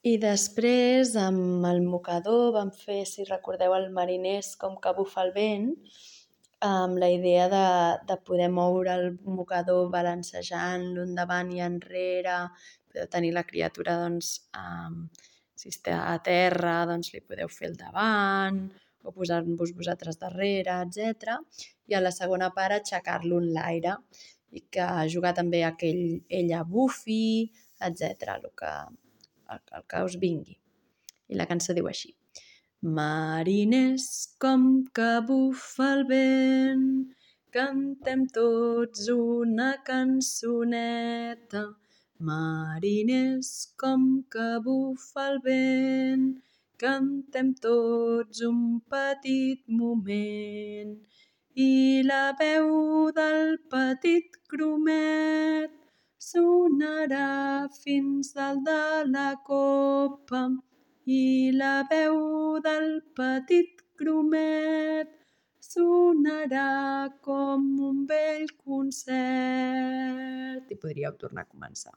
I després, amb el mocador, vam fer, si recordeu, el mariners com que bufa el vent, amb la idea de poder moure el mocador balancejant-lo endavant i enrere, podeu tenir la criatura, doncs, si està a terra, doncs li podeu fer el davant, o posar-vos vosaltres darrere, etc. I a la segona part aixecar-lo en l'aire i que jugar també a que ella bufi, etc. El que us vingui. I la cançó diu així: mariners, com que bufa el vent, cantem tots una cançoneta. Mariners, com que bufa el vent, cantem tots un petit moment. I la veu del petit gromet sonarà fins dalt de la copa. I la veu del petit gromet sonarà com un vell concert. I podríeu tornar a començar.